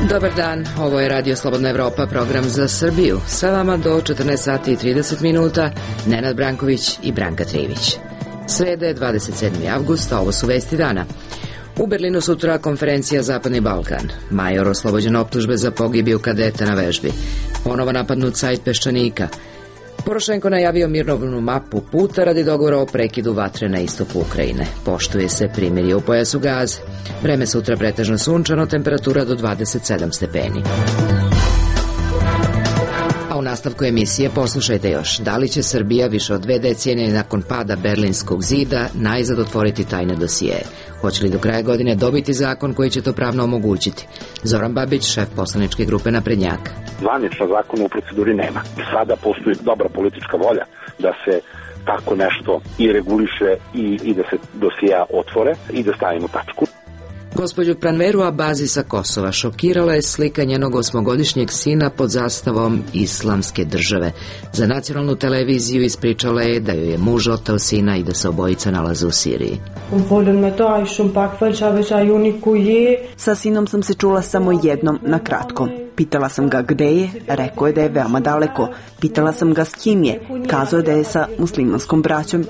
Dobar dan, ovo je Radio Slobodna Evropa, program za Srbiju. Sa vama do 14 sati i 30 minuta, Nenad Branković i Branka Trivić. Sreda je 27. avgust, a ovo su vesti dana. U Berlinu sutra konferencija Zapadni Balkan. Major oslobođen optužbe za pogibiju kadeta na vežbi. Ponovo napadnut sajt Peščanika. Porošenko najavio mirovnu mapu puta radi dogovora o prekidu vatre na istoku Ukrajine. Poštuje se primirje u pojasu Gaze. Vreme sutra pretežno sunčano, temperatura do 27 stepeni. A u nastavku emisije poslušajte još. Da li će Srbija više od 2 decenije nakon pada Berlinskog zida najzad otvoriti tajne dosijeje? Hoće li do kraja godine dobiti zakon koji će to pravno omogućiti? Zoran Babić, šef poslaničke grupe Naprednjaka. Zvanično zakona u proceduri nema. Sada postoji dobra politička volja da se tako nešto i reguliše i da se dosija otvore i da stavimo tačku. Gospođu Pranveru Abazi sa Kosova šokirala je slika njenog 8-godišnjeg sina pod zastavom Islamske države. Za nacionalnu televiziju ispričala je da joj je muž oteo sina i da se obojica nalaze u Siriji. Sa sinom sam se čula samo jednom na kratko. Pitala sam ga gde je, rekao je da je veoma daleko. Pitala sam ga s kim je, kazao je da je sa muslimanskom braćom.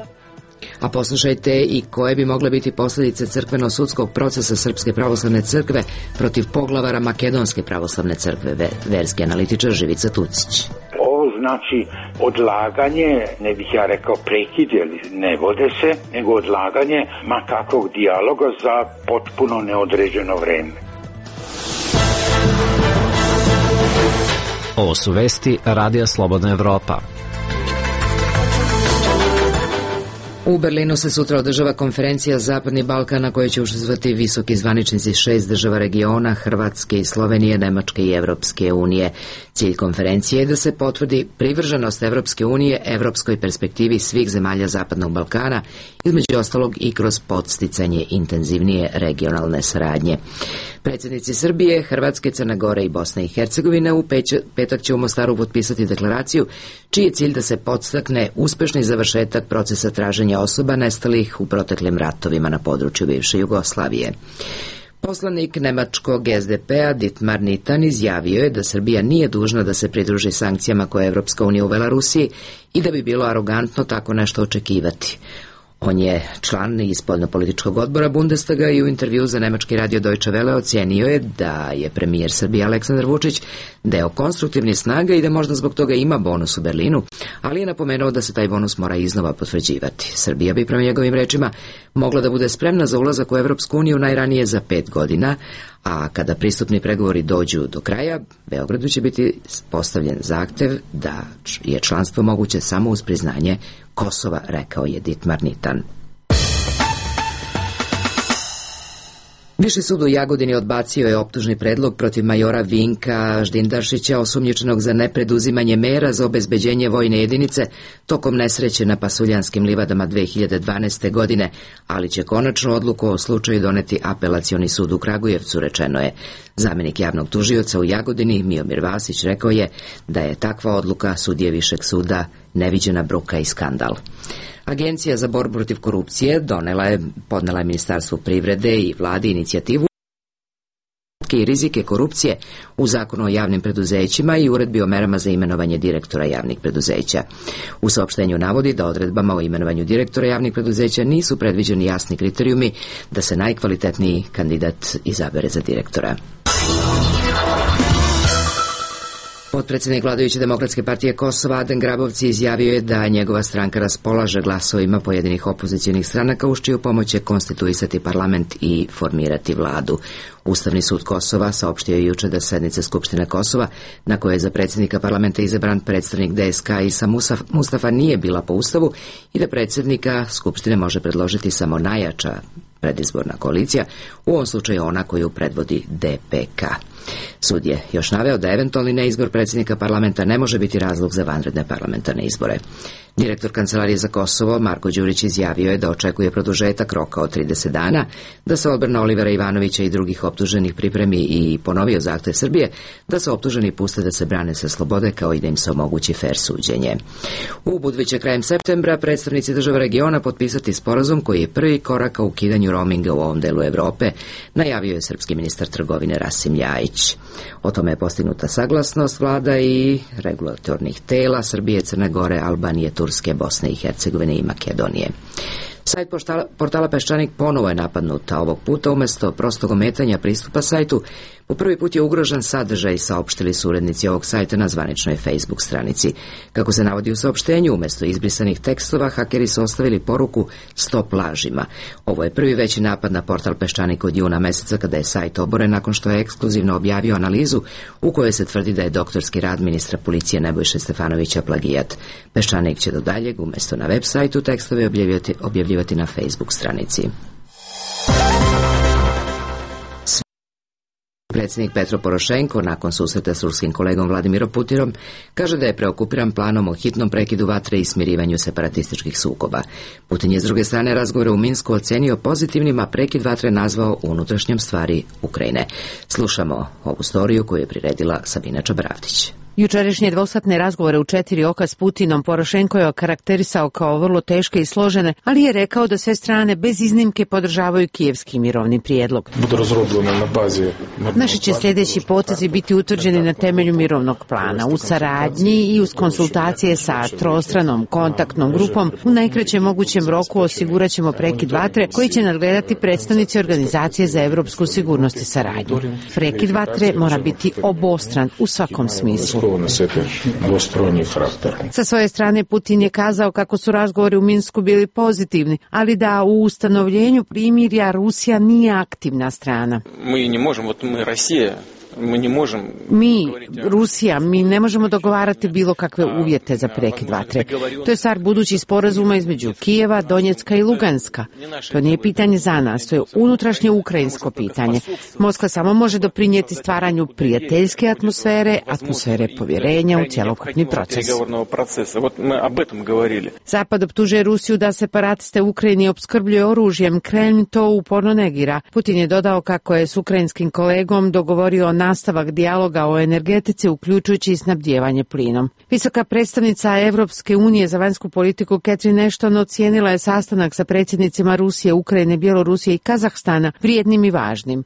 A poslušajte i koje bi mogle biti posljedice crkveno-sudskog procesa Srpske pravoslavne crkve protiv poglavara Makedonske pravoslavne crkve, verski analitičar Živica Tucić. Ovo znači odlaganje, ne bih ja rekao prekid, jer ne vode se, nego odlaganje ma kakvog dijaloga za potpuno neodređeno vreme. Ovo su vesti Radija Slobodna Evropa. U Berlinu se sutra održava konferencija Zapadni Balkan na kojoj će učestvovati visoki zvaničnici 6 država regiona, Hrvatske i Slovenije, Nemačke i Evropske unije. Cilj konferencije je da se potvrdi privrženost Evropske unije evropskoj perspektivi svih zemalja Zapadnog Balkana, između ostalog i kroz podsticanje intenzivnije regionalne saradnje. Predsjednici Srbije, Hrvatske, Crne Gore i Bosne i Hercegovine u petak će u Mostaru potpisati deklaraciju čiji je cilj da se podstakne uspešni završetak procesa traženja osoba nestalih u proteklim ratovima na području bivše Jugoslavije. Poslanik nemačkog SDP-a Dietmar Nitan izjavio je da Srbija nije dužna da se pridruži sankcijama koje je Evropska unija uvela Rusiji i da bi bilo arogantno tako nešto očekivati. On je član iz spoljnopolitičkog odbora Bundestaga i u intervju za nemački radio Deutsche Welle ocenio je da je premijer Srbije Aleksandar Vučić deo konstruktivnih snaga i da možda zbog toga ima bonus u Berlinu, ali je napomenuo da se taj bonus mora iznova potvrđivati. Srbija bi, prema njegovim rečima, mogla da bude spremna za ulazak u Evropsku uniju najranije za 5 godina, a kada pristupni pregovori dođu do kraja, Beogradu će biti postavljen zahtev da je članstvo moguće samo uz priznanje Kosova, rekao je Dietmar Nitan. Viši sud u Jagodini odbacio je optužni predlog protiv majora Vinka Ždindaršića, osumnjičenog za nepreduzimanje mera za obezbeđenje vojne jedinice tokom nesreće na Pasuljanskim livadama 2012. godine, ali će konačnu odluku o slučaju doneti Apelacioni sud u Kragujevcu, rečeno je. Zamenik javnog tužioca u Jagodini, Miomir Vasić, rekao je da je takva odluka sudije Višeg suda neviđena bruka i skandal. Agencija za borbu protiv korupcije podnela je Ministarstvu privrede i vladi inicijativu i rizike korupcije u Zakonu o javnim preduzećima i uredbi o merama za imenovanje direktora javnih preduzeća. U saopštenju navodi da odredbama o imenovanju direktora javnih preduzeća nisu predviđeni jasni kriterijumi da se najkvalitetniji kandidat izabere za direktora. Potpredsjednik vladajuće Demokratske partije Kosova Adem Grabovci izjavio je da njegova stranka raspolaže glasovima pojedinih opozicionih stranaka uz čiju pomoć će konstituisati parlament i formirati vladu. Ustavni sud Kosova saopštio je juče da sednice Skupštine Kosova, na kojoj je za predsjednika parlamenta izabran predstavnik DSK Isa Mustafa, nije bila po Ustavu i da predsjednika Skupštine može predložiti samo najjača predizborna koalicija, u ovom slučaju ona koju predvodi DPK. Sud je još naveo da eventualni neizbor predsjednika parlamenta ne može biti razlog za vanredne parlamentarne izbore. Direktor Kancelarije za Kosovo, Marko Đurić, izjavio je da očekuje produžetak roka od 30 dana, da se odbrana Olivera Ivanovića i drugih optuženih pripremi i ponovio zahtev Srbije da se optuženi puste da se brane sa slobode kao i da im se omogući fer suđenje. U Budvi će krajem septembra predstavnici država regiona potpisati sporazum koji je prvi korak ka ukidanju roaminga u ovom delu Evrope, najavio je srpski ministar trgovine Rasim Ljajić. O tome je postignuta saglasnost vlada i regulatornih tela Srbije, Crne Gore, Albanije, Turske, Bosne i Hercegovine i Makedonije. Sajt portala Peščanik ponovo je napadnut, a ovog puta umjesto prostog ometanja pristupa sajtu, po prvi put je ugrožen sadržaj, saopštili su urednici ovog sajta na zvaničnoj Facebook stranici. Kako se navodi u saopštenju, umjesto izbrisanih tekstova, hakeri su ostavili poruku "Stop lažima". Ovo je prvi veći napad na portal Peščanik od juna meseca, kada je sajt oboren nakon što je ekskluzivno objavio analizu u kojoj se tvrdi da je doktorski rad ministra policije Nebojše Stefanovića plagijat. Peščanik će do daljeg, umjesto na web sajtu, tekstove objavljivati na Facebook stranici. Predsjednik Petro Porošenko, nakon susreta s ruskim kolegom Vladimirom Putinom, kaže da je preokupiran planom o hitnom prekidu vatre i smirivanju separatističkih sukoba. Putin je s druge strane razgovore u Minsku ocenio pozitivnim, a prekid vatre nazvao unutrašnjom stvari Ukrajine. Slušamo ovu storiju koju je priredila Sabina Čabravdić. Jučerašnje dvosatne razgovore u 4 oka s Putinom Porošenko je okarakterisao kao vrlo teške i složene, ali je rekao da sve strane bez iznimke podržavaju kijevski mirovni prijedlog. Naši će sljedeći potezi biti utvrđeni na temelju mirovnog plana, u saradnji i uz konsultacije sa trostranom kontaktnom grupom. U najkraćem mogućem roku osigurat ćemo prekid vatre koji će nadgledati predstavnici Organizacije za evropsku sigurnost i saradnju. Prekid vatre mora biti obostran u svakom smislu. Sa svoje strane Putin je kazao kako su razgovori u Minsku bili pozitivni, ali da u ustanovljenju primirja Rusija nije aktivna strana. Mi ne možemo dogovarati bilo kakve uvjete za prekid vatre. To je stvar budućih sporazuma između Kijeva, Donjecka i Luganska. To nije pitanje za nas, to je unutrašnje ukrajinsko pitanje. Moskva samo može doprinijeti stvaranju prijateljske atmosfere povjerenja u cjelokupni proces. Zapad optužuje Rusiju da separatiste u Ukrajini opskrbljuje oružjem, Kremlj to uporno negira. Putin je dodao kako je s ukrajinskim kolegom dogovorio nastavak dijaloga o energetici, uključujući i snabdijevanje plinom. Visoka predstavnica Evropske unije za vanjsku politiku Catherine Ashton ocijenila je sastanak sa predsjednicima Rusije, Ukrajine, Bjelorusije i Kazahstana vrijednim i važnim.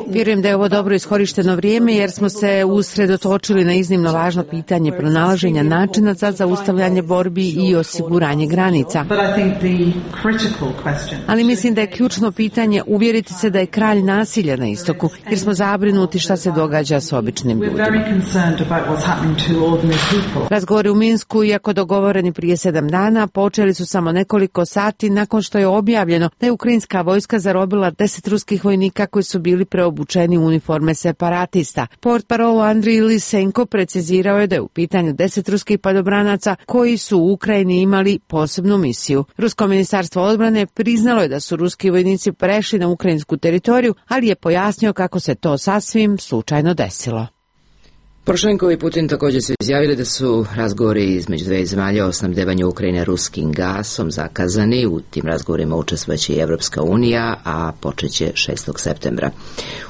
Vjerujem da je ovo dobro iskorišteno vrijeme jer smo se usredotočili na iznimno važno pitanje pronalaženja načina za zaustavljanje borbi i osiguranje granica. Ali mislim da je ključno pitanje uvjeriti se da je kralj nasilja na istoku, jer smo zabrinuti šta se događa s običnim ljudima. Razgovori u Minsku, iako dogovoreni prije 7 dana, počeli su samo nekoliko sati nakon što je objavljeno da je ukrajinska vojska zarobila 10 ruskih vojnika koji su bili preobučeni u uniforme separatista. Portparol Andrij Lisenko precizirao je da je u pitanju 10 ruskih padobranaca koji su u Ukrajini imali posebnu misiju. Rusko ministarstvo odbrane priznalo je da su ruski vojnici prešli na ukrajinsku teritoriju, ali je pojasnio kako se to sasvim slučajno desilo. Porošenko i Putin također su izjavili da su razgovori između dve zemalja o snabdevanju Ukrajine ruskim gasom zakazani. U tim razgovorima učestvojeće i Evropska unija, a počeće 6. septembra.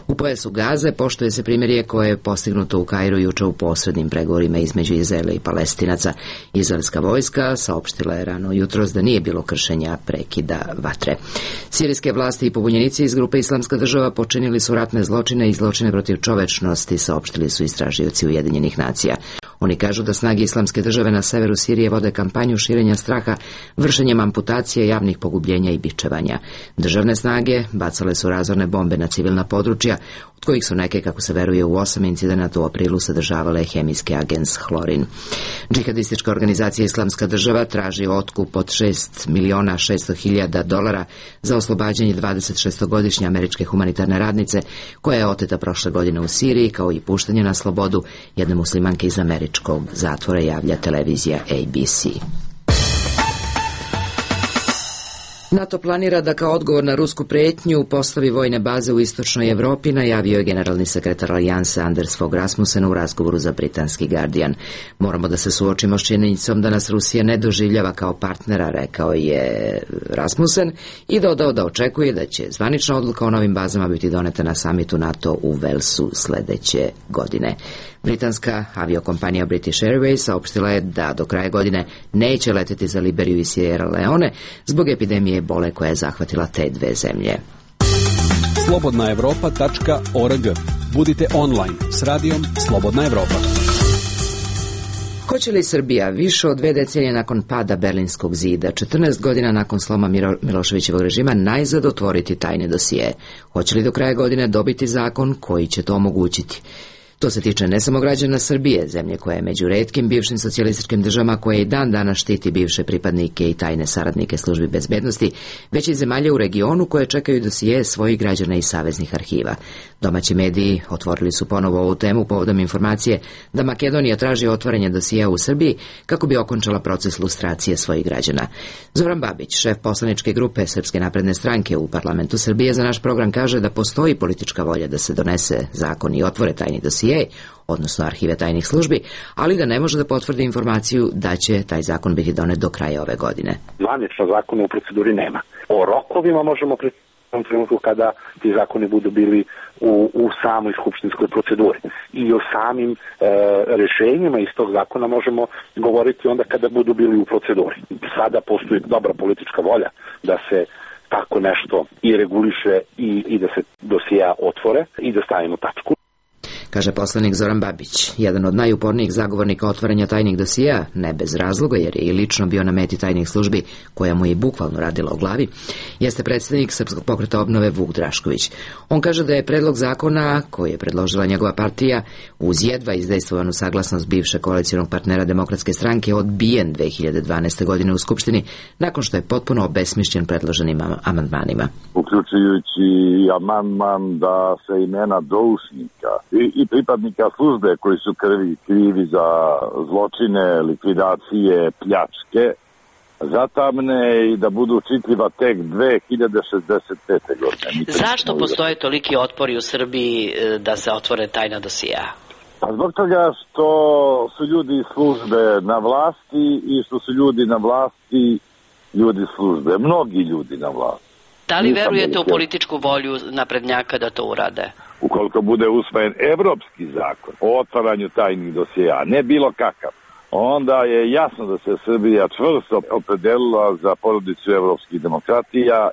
U pojasu Gaze poštuje se primirje koje je postignuto u Kairu juče u posrednim pregovorima između Izraela i Palestinaca. Izraelska vojska saopštila je rano jutros da nije bilo kršenja prekida vatre. Sirijske vlasti i pobunjenici iz grupe Islamska država počinili su ratne zločine i zločine protiv čovečnosti, saopštili su istražioci Ujedinjenih nacija. Oni kažu da snage Islamske države na severu Sirije vode kampanju širenja straha, vršenjem amputacije, javnih pogubljenja i bičevanja. Državne snage bacale su razorne bombe na civilna područja, od kojih su neke, kako se veruje, u 8 incidenata u aprilu sadržavale hemijski agens hlorin. Džihadistička organizacija Islamska država traži otkup od $600.000 za oslobađanje 26-godišnje američke humanitarne radnice koja je oteta prošle godine u Siriji, kao i puštanje na slobodu jedne muslimanke iz američkog zatvora, javlja televizija ABC. NATO planira da kao odgovor na rusku pretnju postavi vojne baze u istočnoj Evropi, najavio je generalni sekretar Alijanse Anders Fogh Rasmussen u razgovoru za britanski Guardian. Moramo da se suočimo s činjenicom da nas Rusija ne doživljava kao partnera, rekao je Rasmussen, i dodao da očekuje da će zvanična odluka o novim bazama biti doneta na samitu NATO u Velsu sledeće godine. Britanska aviokompanija British Airways saopštila je da do kraja godine neće leteti za Liberiju i Sierra Leone zbog epidemije ebole koja je zahvatila te dve zemlje. slobodnaevropa.org. Budite online s radijom Slobodna Evropa. Hoće li Srbija više od 2 decenije nakon pada Berlinskog zida, 14 godina nakon sloma Miloševićevog režima, najzad otvoriti tajne dosije? Hoće li do kraja godine dobiti zakon koji će to omogućiti? To se tiče ne samo građana Srbije, zemlje koja je među retkim bivšim socijalističkim državama koje i dan danas štiti bivše pripadnike i tajne saradnike službi bezbednosti, već i zemalje u regionu koje čekaju dosije svojih građana i saveznih arhiva. Domaći mediji otvorili su ponovo ovu temu povodom informacije da Makedonija traži otvaranje dosija u Srbiji kako bi okončala proces lustracije svojih građana. Zoran Babić, šef poslaničke grupe Srpske napredne stranke u parlamentu Srbije, za naš program kaže da postoji politička volja da se donese zakon i otvore tajni dosije, odnosno arhive tajnih službi, ali da ne može da potvrdi informaciju da će taj zakon biti donet do kraja ove godine. Zvanično zakona u proceduri nema. O rokovima možemo pričati u trenutku kada ti zakoni budu bili u samoj skupštinskoj proceduri. I o samim rešenjima iz tog zakona možemo govoriti onda kada budu bili u proceduri. Sada postoji dobra politička volja da se tako nešto i reguliše i da se dosija otvore i da stavimo tačku. Kaže poslanik Zoran Babić, jedan od najupornijih zagovornika otvaranja tajnih dosija, ne bez razloga jer je i lično bio na meti tajnih službi koja mu je i bukvalno radila u glavi, jeste predsednik Srpskog pokreta obnove Vuk Drašković. On kaže da je predlog zakona koji je predložila njegova partija uz jedva izdejstvovanu saglasnost bivšeg koalicionog partnera Demokratske stranke odbijen 2012. godine u Skupštini nakon što je potpuno obesmišljen predloženim amandmanima. Uključujući amandman da se imena doušnika i pripadnika službe koji su krivi za zločine, likvidacije, pljačke, zatamne i da budu čitljiva tek 2065. godine. Zašto postoje toliki otpori u Srbiji da se otvore tajna dosija? Pa zbog toga što su ljudi iz službe na vlasti i što su ljudi na vlasti ljudi službe, mnogi ljudi na vlasti. Da li verujete u političku volju naprednjaka da to urade? Ukoliko bude usvojen evropski zakon o otvaranju tajnih dosija, ne bilo kakav, onda je jasno da se Srbija čvrsto opredelila za porodicu evropskih demokratija.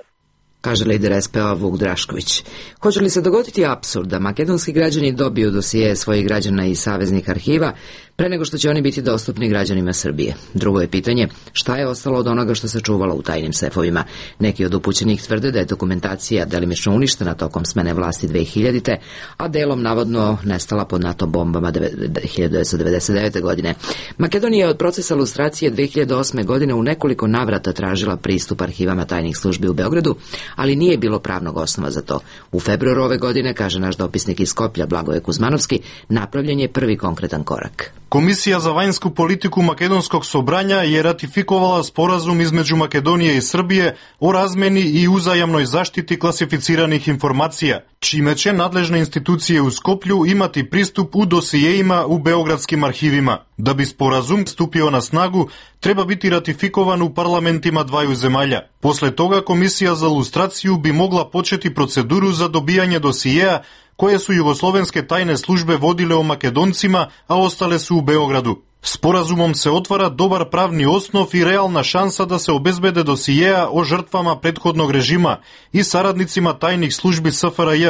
Kaže lider SPO Vuk Drašković. Hoće li se dogoditi apsurd da makedonski građani dobiju dosije svojih građana i saveznih arhiva pre nego što će oni biti dostupni građanima Srbije? Drugo je pitanje šta je ostalo od onoga što se čuvalo u tajnim sefovima. Neki od upućenih tvrde da je dokumentacija delimično uništena tokom smene vlasti 2000. a delom navodno nestala pod NATO bombama 1999. godine. Makedonija je od procesa lustracije 2008. godine u nekoliko navrata tražila pristup arhivama tajnih službi u Beogradu, ali nije bilo pravnog osnova za to. U februaru ove godine, kaže naš dopisnik iz Skoplja Blagoje Kuzmanovski, napravljen je prvi konkretan korak. Komisija za vanjsku politiku Makedonskog sobranja je ratifikovala sporazum između Makedonije i Srbije o razmeni i uzajamnoj zaštiti klasificiranih informacija, čime će nadležne institucije u Skoplju imati pristup u dosijejima u beogradskim arhivima. Da bi sporazum stupio na snagu, treba biti ratifikovan u parlamentima dvaju zemalja. Posle toga Komisija za lustraciju bi mogla početi proceduru za dobijanje dosijeja koje su jugoslovenske tajne službe vodile o Makedoncima, a ostale su u Beogradu. Sporazumom se otvara dobar pravni osnov i realna šansa da se obezbede dosijeja o žrtvama prethodnog režima i saradnicima tajnih službi SFRJ,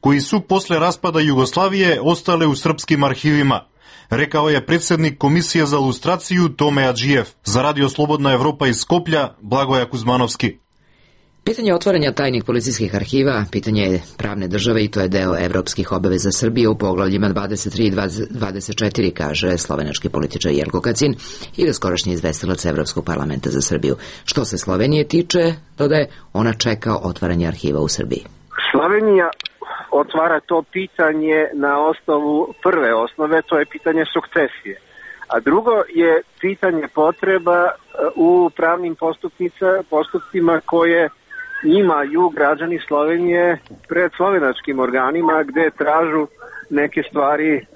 koji su posle raspada Jugoslavije ostale u srpskim arhivima, rekao je predsednik Komisije za lustraciju Tome Adžijev. Za Radio Slobodna Evropa iz Skoplja, Blagoja Kuzmanovski. Pitanje otvaranja tajnih policijskih arhiva pitanje je pravne države i to je deo evropskih obaveza Srbije u poglavljima 23 i 24, kaže slovenački političar Jelko Kacin i doskorašnji izvestilac Evropskog parlamenta za Srbiju. Što se Slovenije tiče, dodaje, ona čeka otvaranje arhiva u Srbiji. Slovenija otvara to pitanje na osnovu prve osnove, to je pitanje sukcesije. A drugo je pitanje potreba u pravnim postupcima koje imaju građani Slovenije pred slovenačkim organima gde tražu neke stvari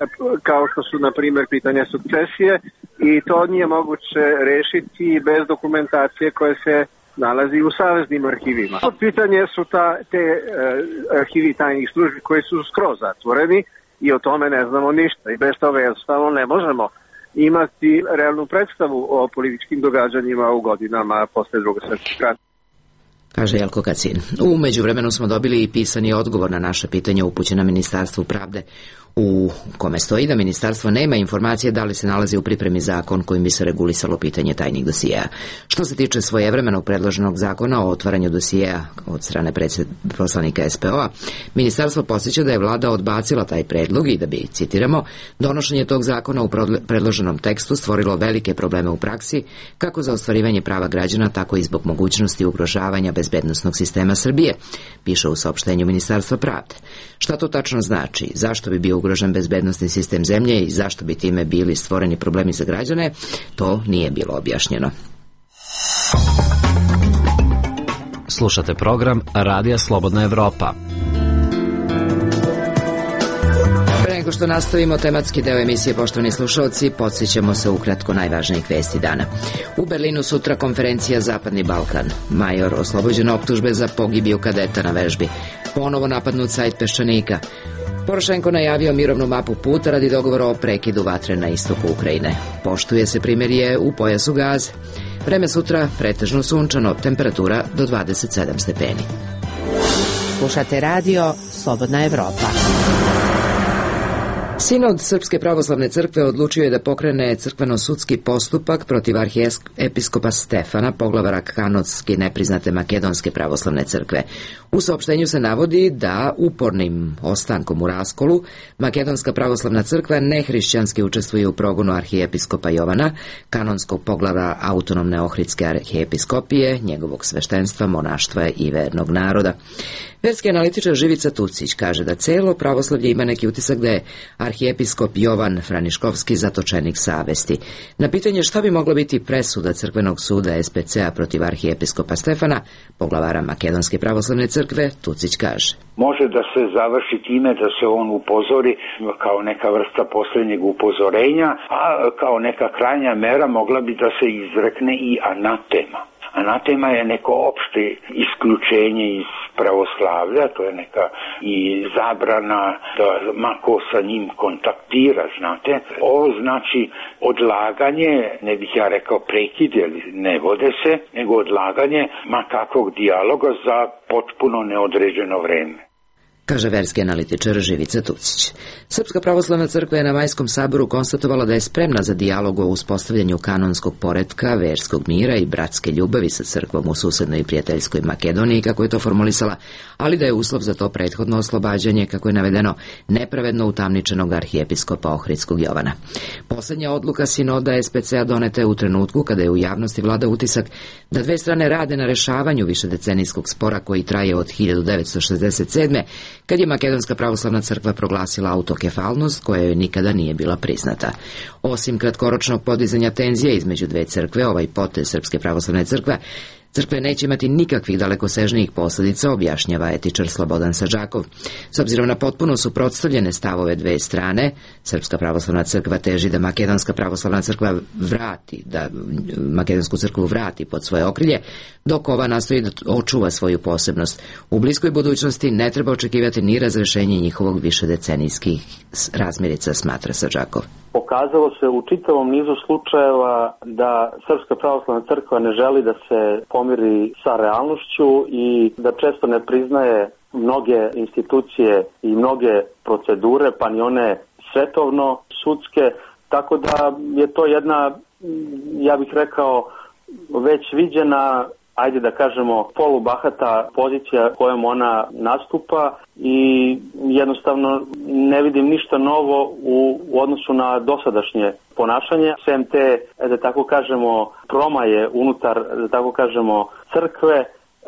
kao što su na primjer pitanje sukcesije i to nije moguće rešiti bez dokumentacije koje se nalazi u saveznim arhivima. Pitanje su te arhivi tajnih službi koji su skroz zatvoreni i o tome ne znamo ništa i bez toga jednostavno ne možemo imati realnu predstavu o političkim događanjima u godinama posle Drugog svjetskog rata. Kaže Jelko Kacin. U međuvremenu smo dobili i pisani odgovor na naše pitanje upućeno Ministarstvu pravde, u kome stoji da ministarstvo nema informacije da li se nalazi u pripremi zakon kojim bi se regulisalo pitanje tajnih dosijeja. Što se tiče svojevremenog predloženog zakona o otvaranju dosijeja od strane poslanika SPO-a, ministarstvo podsjeća da je vlada odbacila taj predlog i da bi, citiramo, donošenje tog zakona u predloženom tekstu stvorilo velike probleme u praksi, kako za ostvarivanje prava građana, tako i zbog mogućnosti ugrožavanja bezbednosnog sistema Srbije, piše u saopštenju Ministarstva pravde. Šta to tačno znači? Zašto bi bio ugrožen bezbednosni sistem zemlje i zašto bi time bili stvoreni problemi za građane? To nije bilo objašnjeno. Slušate program Radija Slobodna Evropa. Pre nego što nastavimo tematski deo emisije, poštovani slušalci, podsjećamo se ukratko najvažnijih vesti dana. U Berlinu sutra konferencija Zapadni Balkan. Major oslobođen optužbe za pogibiju kadeta na vežbi. Ponovo napadnut sajt Peščanika. Porošenko najavio mirovnu mapu puta radi dogovora o prekidu vatre na istoku Ukrajine. Poštuje se primirje u pojasu Gaze. Vreme sutra pretežno sunčano, temperatura do 27 stepeni. Slušate radio Slobodna Evropa. Sinod Srpske pravoslavne crkve odlučio je da pokrene crkveno-sudski postupak protiv arhijepiskopa Stefana, poglavara kanonski nepriznate Makedonske pravoslavne crkve. U saopštenju se navodi da upornim ostankom u raskolu Makedonska pravoslavna crkva nehrišćanski učestvuje u progonu arhijepiskopa Jovana, kanonskog poglavara autonomne Ohridske arhijepiskopije, njegovog sveštenstva, monaštva i vernog naroda. Verski analitičar Živica Tucić kaže da celo pravoslavlje ima neki utisak da je arhijepiskop Jovan Franiškovski zatočenik savesti. Na pitanje šta bi mogla biti presuda Crkvenog suda SPC-a protiv arhijepiskopa Stefana, poglavara Makedonske pravoslavne crkve, Tucić kaže. Može da se završi time da se on upozori kao neka vrsta posljednjeg upozorenja, a kao neka krajnja mera mogla bi da se izrekne i anatema. Anatema je neko opšte isključenje iz pravoslavlja, to je neka i zabrana da mako sa njim kontaktira, znate. Ovo znači odlaganje, ne bih ja rekao prekid, jer ne vode se, nego odlaganje makakvog dijaloga za potpuno neodređeno vreme, kaže verski analitičar Živica Tucić. Srpska pravoslavna crkva je na Majskom saboru konstatovala da je spremna za dijalog o uspostavljanju kanonskog poretka, verskog mira i bratske ljubavi sa crkvom u susednoj i prijateljskoj Makedoniji, kako je to formulisala, ali da je uslov za to prethodno oslobađanje, kako je navedeno, nepravedno utamničenog arhijepiskopa Ohridskog Jovana. Poslednja odluka sinoda SPC-a doneta je u trenutku kada je u javnosti vlada utisak da dve strane rade na rešavanju višedecenijskog spora koji traje od 1967. kad je Makedonska pravoslavna crkva proglasila autokefalnost koja joj nikada nije bila priznata. Osim kratkoročnog podizanja tenzije između dve crkve, ovaj potez Srpske pravoslavne crkve neće imati nikakvih dalekosežnijih posljedica, objašnjava etičar Slobodan Sadžakov. S obzirom na potpuno suprotstavljene stavove dve strane, Srpska pravoslavna crkva teži da Makedonska pravoslavna crkva Makedonsku crkvu vrati pod svoje okrilje, dok ova nastoji da očuva svoju posebnost. U bliskoj budućnosti ne treba očekivati ni razrešenje njihovog višedecenijskih razmirica, smatra Sadžakov. Pokazalo se u čitavom nizu slučajeva da Srpska pravoslavna crkva ne želi da se pomiri sa realnošću i da često ne priznaje mnoge institucije i mnoge procedure, pa ni one svetovno-sudske, tako da je to jedna, ja bih rekao, već viđena, ajde da kažemo, polubahata pozicija kojom ona nastupa i jednostavno ne vidim ništa novo u odnosu na dosadašnje ponašanje. Sem te, da tako kažemo, promaje unutar, da tako kažemo, crkve,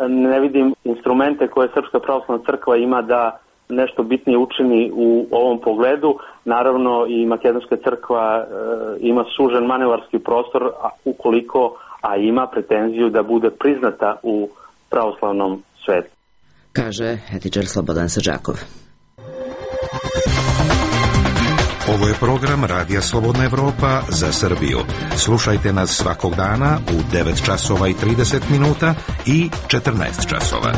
ne vidim instrumente koje Srpska pravoslavna crkva ima da nešto bitnije učini u ovom pogledu. Naravno i Makedonska crkva ima sužen manevarski prostor ukoliko, a ima pretenziju da bude priznata u pravoslavnom svetu. Kaže etičar Slobodan Sadžakov. Ovo je program Radija Slobodna Evropa za Srbiju. Slušajte nas svakog dana u 9 časova i 30 minuta i 14 časova.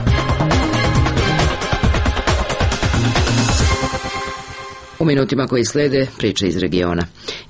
U minutima koji slede, priče iz regiona.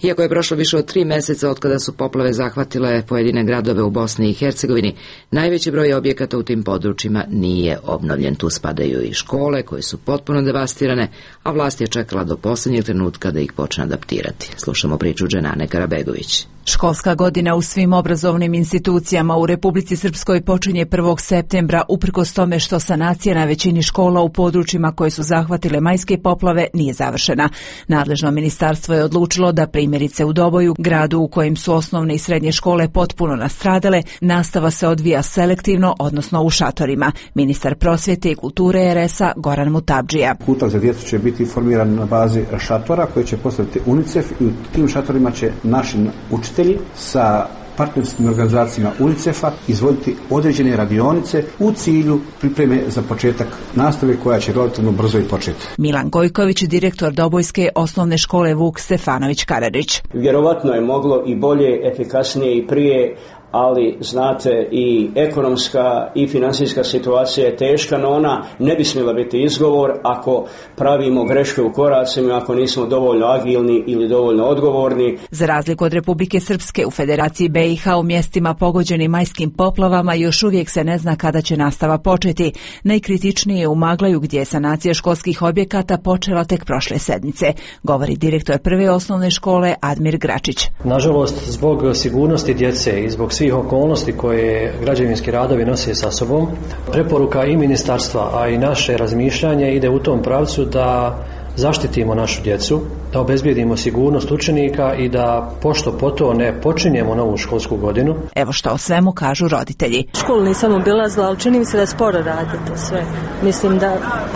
Iako je prošlo više od 3 meseca od kada su poplave zahvatile pojedine gradove u Bosni i Hercegovini, najveći broj objekata u tim područjima nije obnovljen. Tu spadaju i škole koje su potpuno devastirane, a vlast je čekala do posljednjeg trenutka da ih počne adaptirati. Slušamo priču Dženane Karabegović. Školska godina u svim obrazovnim institucijama u Republici Srpskoj počinje 1. septembra, uprkos tome što sanacija na većini škola u područjima koje su zahvatile majske poplave nije završena. Nadležno ministarstvo je odlučilo da primjerice u Doboju, gradu u kojem su osnovne i srednje škole potpuno nastradale, nastava se odvija selektivno, odnosno u šatorima. Ministar prosvjete i kulture RS-a Goran Mutabdžija. Kutak za djecu će biti formiran na bazi šatora koje će postaviti UNICEF i u tim šatorima će naši učitelji sa partnerskim organizacijama UNICEF-a izvoditi određene radionice u cilju pripreme za početak nastave koja će relativno brzo i početi. Milan Gojković, direktor Dobojske osnovne škole Vuk Stefanović Karadžić. Vjerovatno je moglo i bolje, efikasnije i prije, ali znate i ekonomska i financijska situacija je teška, no ona ne bi smjela biti izgovor ako pravimo greške u koracima, ako nismo dovoljno agilni ili dovoljno odgovorni. Za razliku od Republike Srpske, u Federaciji BiH u mjestima pogođenim majskim poplavama još uvijek se ne zna kada će nastava početi. Najkritičnije je u Maglaju gdje je sanacija školskih objekata počela tek prošle sedmice, govori direktor prve osnovne škole Admir Gračić. Nažalost, zbog sigurnosti djece i zbog svih okolnosti koje građevinski radovi nose sa sobom, preporuka i ministarstva, a i naše razmišljanje ide u tom pravcu da zaštitimo našu djecu, da obezbijedimo sigurnost učenika i da pošto poto ne počinjemo novu školsku godinu. Evo što o svemu kažu roditelji. Školu nisam obilazila, ali čini mi se da sporo radi to sve. Mislim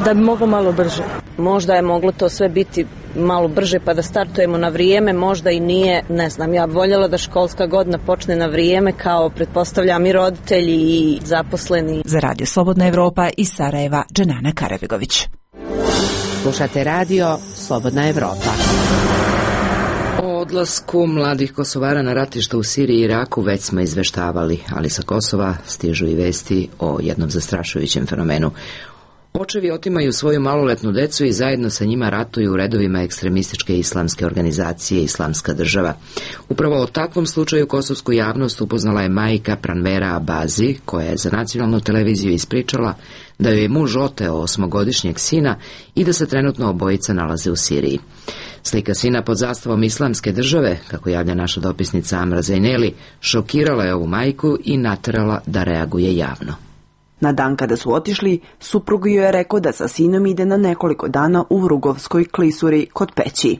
da bi moglo malo brže. Možda je moglo to sve biti malo brže pa da startujemo na vrijeme, možda i nije, ne znam. Ja bih voljela da školska godina počne na vrijeme kao pretpostavljam i roditelji i zaposleni. Za Radio Slobodna Evropa iz Sarajeva, Dženana Karabegović. Slušate radio Slobodna Evropa. O odlasku mladih Kosovara na ratišta u Siriji i Iraku već smo izveštavali, ali sa Kosova stižu i vesti o jednom zastrašujućem fenomenu. Očevi otimaju svoju maloletnu decu i zajedno sa njima ratuju u redovima ekstremističke islamske organizacije Islamska država. Upravo o takvom slučaju kosovsku javnost upoznala je majka Pranvera Abazi, koja je za nacionalnu televiziju ispričala da joj je muž oteo 8-godišnjeg sina i da se trenutno obojica nalaze u Siriji. Slika sina pod zastavom Islamske države, kako javlja naša dopisnica Amra Zajneli, šokirala je ovu majku i naterala da reaguje javno. Na dan kada su otišli, suprug joj je rekao da sa sinom ide na nekoliko dana u Vrugovskoj klisuri kod Peći.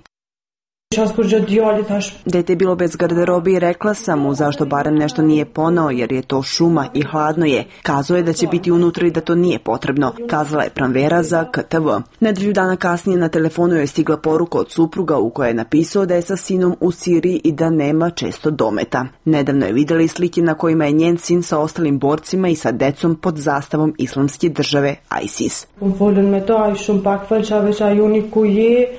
Dete je bilo bez garderobe i rekla sam mu zašto barem nešto nije ponao jer je to šuma i hladno je. Kazao je da će biti unutra i da to nije potrebno, kazala je Pranvera za KTV. Nedelju dana kasnije na telefonu je stigla poruka od supruga u kojoj je napisao da je sa sinom u Siriji i da nema često dometa. Nedavno je vidjela i slike na kojima je njen sin sa ostalim borcima i sa decom pod zastavom Islamske države ISIS.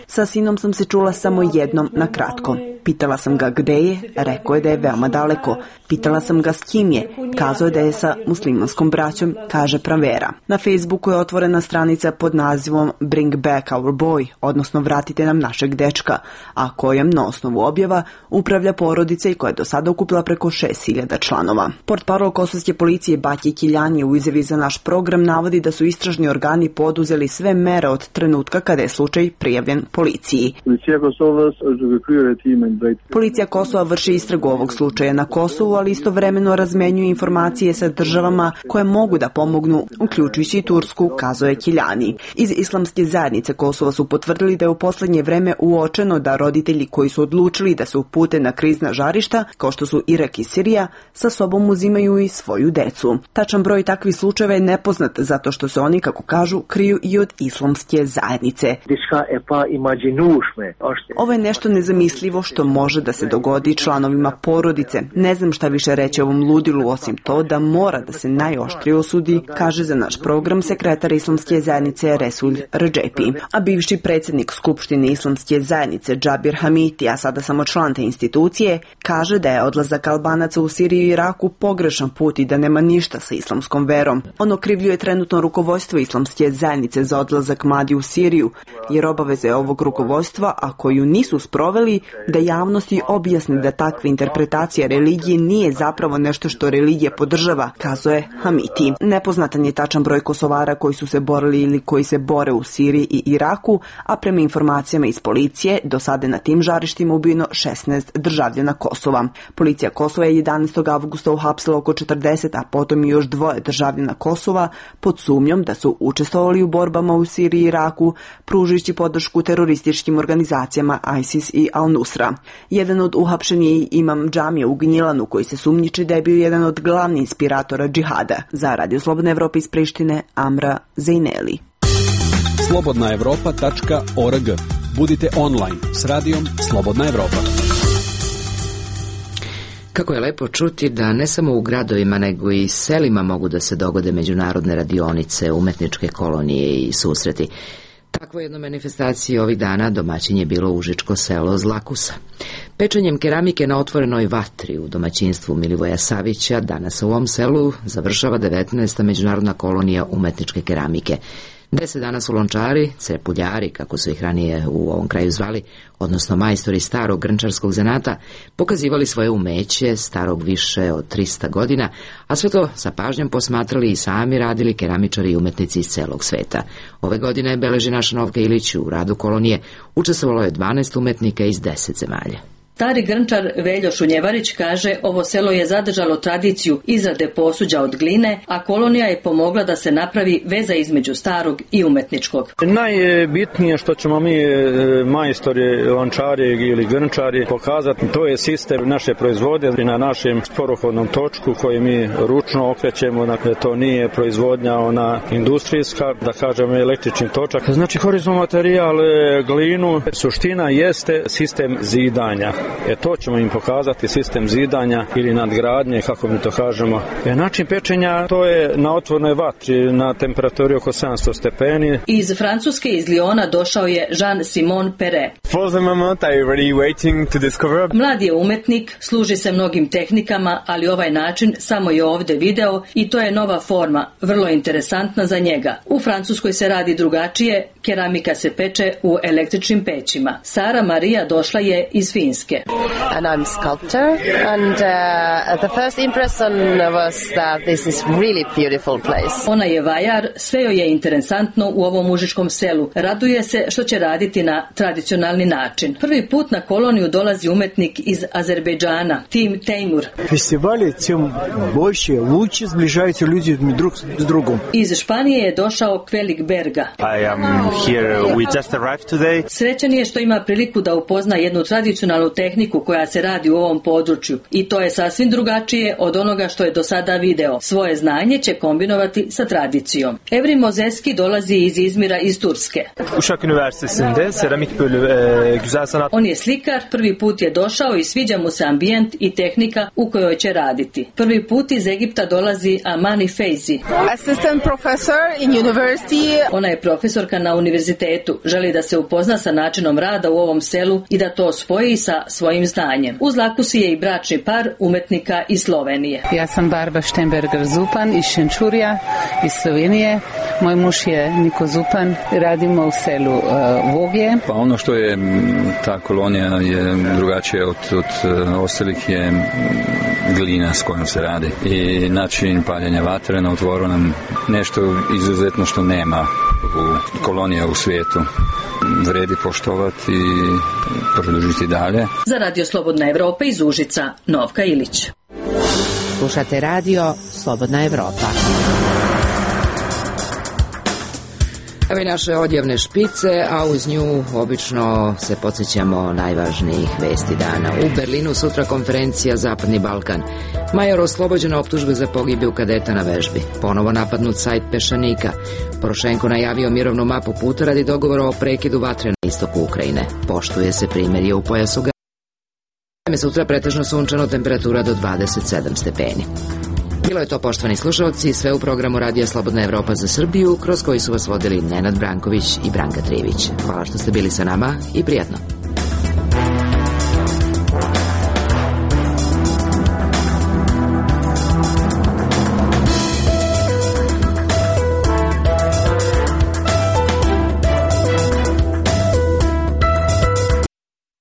Sa sinom sam se čula samo jednom na kratko. Pitala sam ga gde je, rekao je da je veoma daleko. Pitala sam ga s kim je, kazao je da je sa muslimanskom braćom, kaže Pranvera. Na Facebooku je otvorena stranica pod nazivom Bring Back Our Boy, odnosno Vratite nam našeg dečka, a kojom na osnovu objava upravlja porodica i koja je do sada okupila preko 6.000 članova. Portparol kosovske policije Batje Kiljani u izjavi za naš program navodi da su istražni organi poduzeli sve mere od trenutka kada je slučaj prijavljen policiji. Policija Kosova vrši istragu ovog slučaja na Kosovu, ali istovremeno razmenjuju informacije sa državama koje mogu da pomognu, uključujući i Tursku, kazao je Kiljani. Iz Islamske zajednice Kosova su potvrdili da je u poslednje vreme uočeno da roditelji koji su odlučili da se upute na krizna žarišta, kao što su Irak i Sirija, sa sobom uzimaju i svoju decu. Tačan broj takvih slučajeva je nepoznat zato što se oni, kako kažu, kriju i od Islamske zajednice. Ovo je nešto nezamislivo što može da se dogodi članovima porodice. Ne znam šta više reći o ovom ludilu osim to da mora da se najoštrije osudi, kaže za naš program sekretar Islamske zajednice Resul Redžepi. A bivši predsjednik Skupštine Islamske zajednice Džabir Hamiti, a sada samo član te institucije, kaže da je odlazak Albanaca u Siriju i Iraku pogrešan put i da nema ništa sa islamskom verom. On okrivljuje trenutno rukovodstvo Islamske zajednice za odlazak mladi u Siriju, jer obaveze ovog rukovodstva, a koju nisu sproveli, da javnosti objasni da takva interpretacija religije nije zapravo nešto što religija podržava, kazuje Hamiti. Nepoznatan je tačan broj Kosovara koji su se borili ili koji se bore u Siriji i Iraku, a prema informacijama iz policije, do sada na tim žarištima ubijeno 16 državljana Kosova. Policija Kosova je 11. avgusta uhapsila oko 40, a potom i još 2 državljana Kosova pod sumnjom da su učestvovali u borbama u Siriji i Iraku, pružujući podršku terorističkim organizacijama ISIS i Al-Nusra. Jedan od uhapšenih je imam džamije u Gnjilanu, koji se sumnjiči da je bio jedan od glavnih inspiratora džihada. Za Radio Slobodna Evropa iz Prištine, Amra Zejneli. slobodnaevropa.org. Budite online s radijom Slobodna Evropa. Kako je lepo čuti da ne samo u gradovima nego i selima mogu da se dogode međunarodne radionice, umetničke kolonije i susreti. Takvo jedno manifestacije ovih dana domaćin je bilo Užičko selo Zlakusa. Pečenjem keramike na otvorenoj vatri u domaćinstvu Milivoja Savića danas u ovom selu završava 19. međunarodna kolonija umetničke keramike. 10 dana su lončari, crepuljari, kako su ih ranije u ovom kraju zvali, odnosno majstori starog grnčarskog zanata, pokazivali svoje umeće starog više od 300 godina, a sve to sa pažnjom posmatrali i sami radili keramičari i umetnici iz celog sveta. Ove godine, beleži naša Novka Ilić, u radu kolonije učestvovalo je 12 umetnika iz 10 zemalja. Stari grnčar Veljo Šunjevarić kaže, ovo selo je zadržalo tradiciju izrade posuđa od gline, a kolonija je pomogla da se napravi veza između starog i umetničkog. Najbitnije što ćemo mi majstori, lončari ili grnčari pokazati, to je sistem naše proizvodnje na našem sporohodnom točku koji mi ručno okrećemo, dakle to nije proizvodnja ona industrijska, da kažemo električni točak. Znači horizontalni materijal, glinu, suština jeste sistem zidanja. To ćemo im pokazati, sistem zidanja ili nadgradnje, kako mi to kažemo. Način pečenja, to je na otvornoj vatri, na temperaturi oko 700 stepeni. Iz Francuske, iz Lyona, došao je Jean-Simon Perret. Mlad je umetnik, služi se mnogim tehnikama, ali ovaj način samo je ovde video i to je nova forma, vrlo interesantna za njega. U Francuskoj se radi drugačije, keramika se peče u električnim pećima. Sara Marija došla je iz Finske. And I'm sculptor, and the first impression was that this is really beautiful place. Ona je vajar, sve joj je interesantno u ovom užičkom selu. Raduje se što će raditi na tradicionalni način. Prvi put na koloniju dolazi umetnik iz Azerbejdžana, Tim Teimur. Festivali tim больше, лучше сближаются люди друг с другом. Iz Španije je došao Kvelik Berga. I am here, we just arrived today. Srećan je što ima priliku da upozna jednu tradicionalnu tehniku koja se radi u ovom području i to je sasvim drugačije od onoga što je do sada video. Svoje znanje će kombinovati sa tradicijom. Evrim Mozeski dolazi iz Izmira iz Turske. Uşak Üniversitesi'nde seramik bölümü güzel sanat. On je slikar, prvi put je došao i sviđa mu se ambijent i tehnika u kojoj će raditi. Prvi put iz Egipta dolazi Amani Feizi. Assistant professor in university. Ona je profesorka na univerzitetu. Želi da se upozna sa načinom rada u ovom selu i da to spoji sa svojim znanjem. Uz Lakusi je i bračni par umetnika iz Slovenije. Ja sam Barba Štemberger Zupan iz Šenčurja, iz Slovenije. Moj muž je Niko Zupan. Radimo u selu Vogje. Pa ono što je ta kolonija je drugačije od ostalih je glina s kojom se radi i način paljenja vatre na otvorenom, nešto izuzetno što nema u kolonija u svijetu. Vredi poštovati i produžiti dalje. Za Radio Slobodna Evropa iz Užica, Novka Ilić. Slušate radio Slobodna Evropa. Evo i naše odjavne špice, a uz nju obično se podsjećamo najvažnijih vesti dana. U Berlinu sutra konferencija Zapadni Balkan. Major oslobođen optužbe za pogibiju kadeta na vežbi. Ponovo napadnut sajt Pešanika. Porošenko najavio mirovnu mapu puta radi dogovora o prekidu vatre na istoku Ukrajine. Poštuje se primirje u pojasu Gaze. Sutra pretežno sunčano, temperatura do 27 stepeni. Bilo je to, poštovani slušalci, sve u programu Radija Slobodna Evropa za Srbiju, kroz koji su vas vodili Nenad Branković i Branka Trivić. Hvala što ste bili sa nama i prijatno.